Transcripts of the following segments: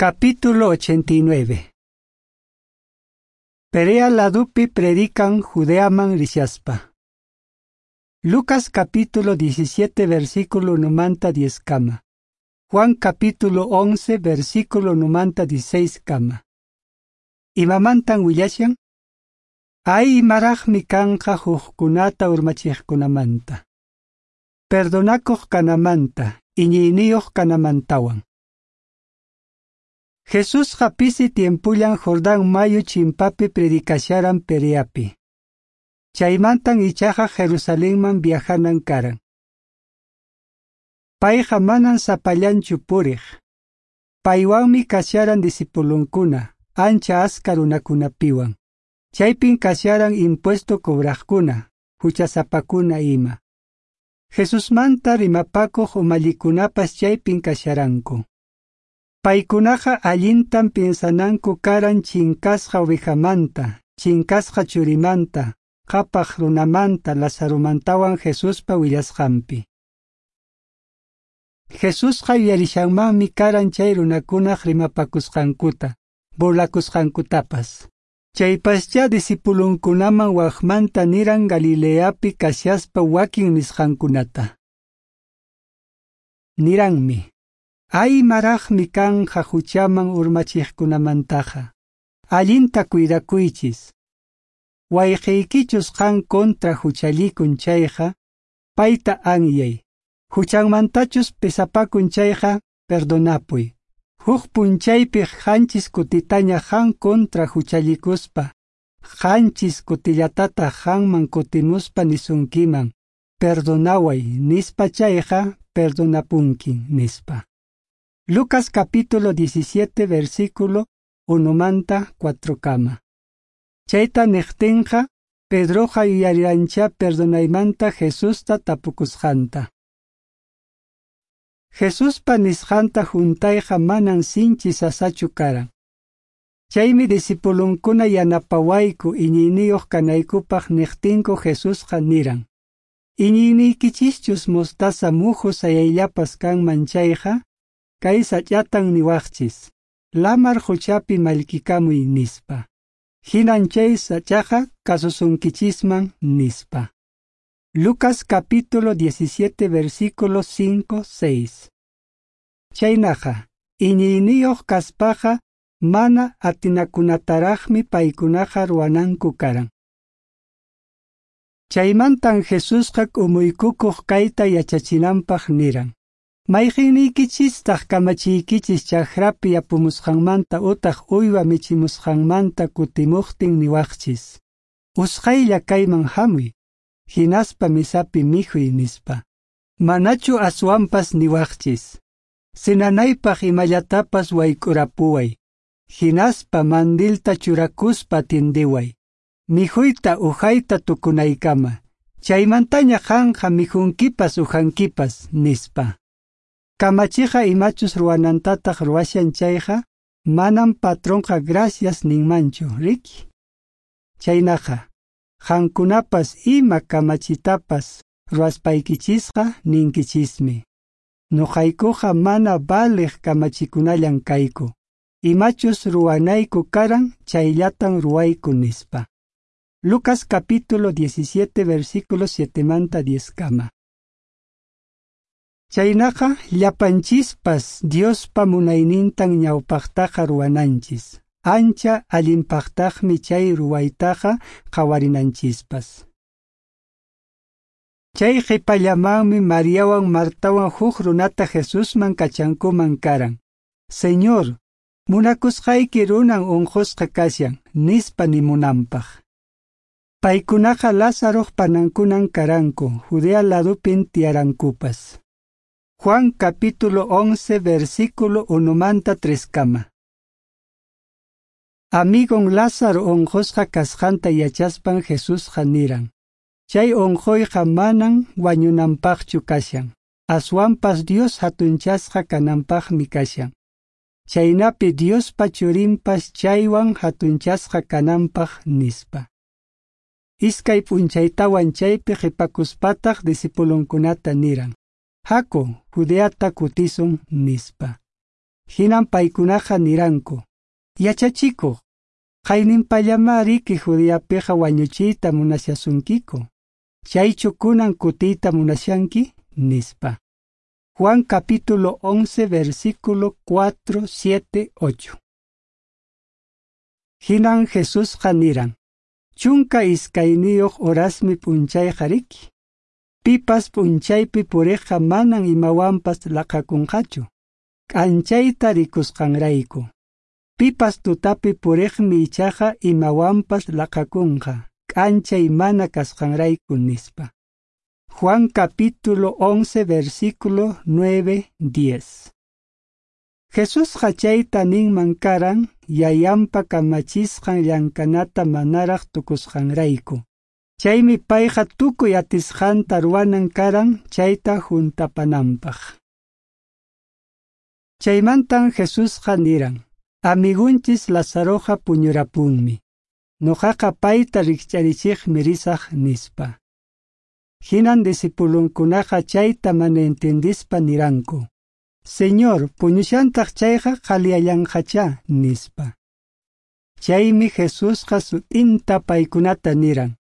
Capítulo 89. Perea ladupi predican Judeaman rishaspa. Lucas capítulo 17 versículo numanta 10 kama. Juan capítulo 11 versículo numanta 16 kama. Imamantan willashan? Ay imaraqmi kanqa hukkunata urmachiqkunamanta. Perdonakuq kanamanta, iñiyniyuq kanamantawan. Jesusqa pisi tiempullan Jordán mayu chimpapi predicasharan Pereapi. Chaymantan ichaqa Jerusalenman viajanan karan. Payqa manan sapallanchu puriq. Paywanmi kasharan discipulunkuna, ancha aska runakunapiwan. Chaypin kasharan impuesto cobraqkuna, huchasapakuna ima. Jesusmanta rimapakuq umallikunapas chaypin kasharanku. Paykunaqa allintan piensananku karan chinkasqa ovejamanta, chinkasqa churimanta, qhapaq runamanta, Lazaromantawan Jesuspa willasqanpi. Jesusqa yuyarishanmanmi karan chay runakunaq rimapakusqankuta, burlakusqankutapas. Chaypaschá discipulunkunaman waqmanta niran Galileapi kashaspa wakin nisqankunata. Niranmi: Ay maraqmi kanqa huchaman urmachiqkunamantaqa. Allinta cuidakuychis. Wayqiykichus qan contra huchallikun chayqa, payta anyay. Huchanmantachus pesapakun chayqa, perdonapuy. Huk punchaypi qanchis kutitaña qan contra huchallikuspa, qanchis kutillatataq qanman kutimuspa nisunkiman, perdonaway nispa chayqa, perdonapunkin nispa. Lucas capítulo 17 versículo 1 manta 4 kama. Chayta niqtinqa, Pedroqa yuyariranchá perdonaymanta Jesusta tapukusqanta. Jesuspa nisqanta huntayqa manan sinchi sasachu karan. Chaymi discipulunkuna yanapawayku iñiyniyuq kanaykupaq niqtinku Jesusqa niran: Iñiyniykichischus mostaza muhu sayayllapas kanman chayqa, kay sach'atan niwaqchis, lamar quchapi mallkikamuy nispa. Hinan chay sach'aqa kasusunkichisman nispa. Lucas capítulo 17 versículos 5, 6. Chaynaqa, iñiyniyuq kaspaqa mana atinakunataraqmi paykunaqa ruwananku karan. Chaymantan Jesusqa k'umuykukuq kayta yachachinanpaq niran: Mayqiniykichistaq kamachiykichis chakrapi yapumusqanmanta utaq uywa michimusqanmanta kutimuqtin niwaqchis: Usqhaylla kayman hamuy, hinaspa misapi mikhuy nispa. Manachu aswanpas niwaqchis: Cenanaypaq imallatapas wayk'urapuway, hinaspa mandilta churakuspa atindiway, mikhuyta uhayta tukunaykama, chaymantaña qanqa mikhunkipas uhankipas nispa. Kamachiqa imachus ruwanantataq ruwashan chayqa, manam patronqa gracias ninmanchu, riki? Chaynaqa, qankunapas ima kamachitapas ruwaspaykichisqa ninkichismi: Nuqaykuqa mana valiq kamachikunallan kayku. Imachus ruwanayku karan, chayllatan ruwayku nispa. Lucas capítulo 17 versículo 7 manta 10 kama. Chaynaqa llapanchispas Diospa munaynintan ñawpaqtaqa ruwananchis. Ancha allinpaqtaqmi chay ruwaytaqa qhawarinanchispas. Chay qhipallamanmi Mariawan Martawan huk runata Jesusman kachankuman karan: Señor, munakusqayki runan unqusqa kashan, nispa nimunanpaq. Paykunaqa Lázaroq panankunan karanku, Judea ladupin tiyarankupas. Juan capítulo 11 versículo 1 manta 3 kama. Amigon Lázaro unqusqa kasqanta yachaspan Jesusqa niran: Chay unquyqa manan wañunanpaqchu kashan, aswanpas Dios hatunchasqa kananpaqmi kashan. Chaynapi Diospa churinpas chaywan hatunchasqa kananpaq nispa. Iskay p'unchaytawan chaypi qhipakuspataq discipulunkunata niran: Haku, Judeata kutisun nispa. Hinan paykunaqa niranku: Yachachikuq, qayninpallamá riki Judeapiqa wañuchiyta munashasunkiku. Chaychu kunan kutiyta munashanki? Nispa. Juan capítulo 11, versículo 4, 7, 8. Hinan Jesusqa niran: 12 horasmi p'unchayqa riki. Pipas p'unchaypi puriqqa manan imawanpas laqakunqachu, k'anchayta rikusqanrayku. Pipas tutapi puriqmi ichaqa imawanpas laqakunqa, k'anchay mana kasqanrayku, nispa. Juan capítulo 11, versículo 9, 10. Jesusqa chayta ninman karan yayanpa kamachisqan llankanata manaraq tukusqanrayku. Chaymi payqa tukuy atisqanta ruwanan karan chayta juntapananpaq. Chaymantan Jesusqa niran: Amigunchis Lazaroqa puñurapunmi. Noqaqa payta rikch'arichiqmi risaq, nispa. Hinan discipulunkunaqa chayta mana entendispa niranku: Señor, puñushantaq chayqa qhaliyallanqachá, nispa. Chaymi Jesusqa sut'inta paykunata niran: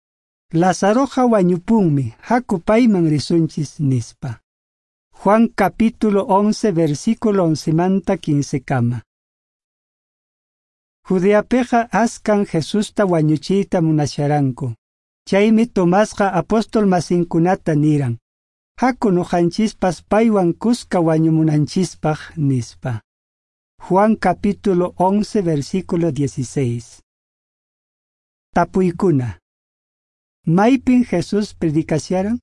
Lazaroqa wañupunmi, haku payman risunchis, nispa. Juan capítulo 11, versículo 11 manta 15 kama. Judeapiqa askan Jesusta wañuchiyta munasharanku. Chaymi Tomasqa apóstol masinkunata niran: Haku noqanchispas paywan kuska wañumunanchispaq, nispa. Juan capítulo 11, versículo 16. Tapuykuna. Maypin Jesús predicasharan?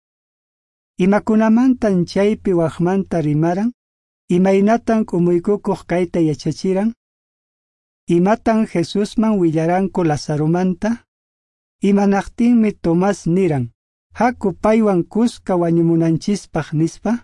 Imakunamantan chaypi waqmanta rimaran? Imaynatan k'umuykukuq kayta yachachiran? Imatan Jesusman willaranku Lazaromanta? Imanaqtinmi Tomás niran: Haku paywan kuska wañumunanchispaq, nispa?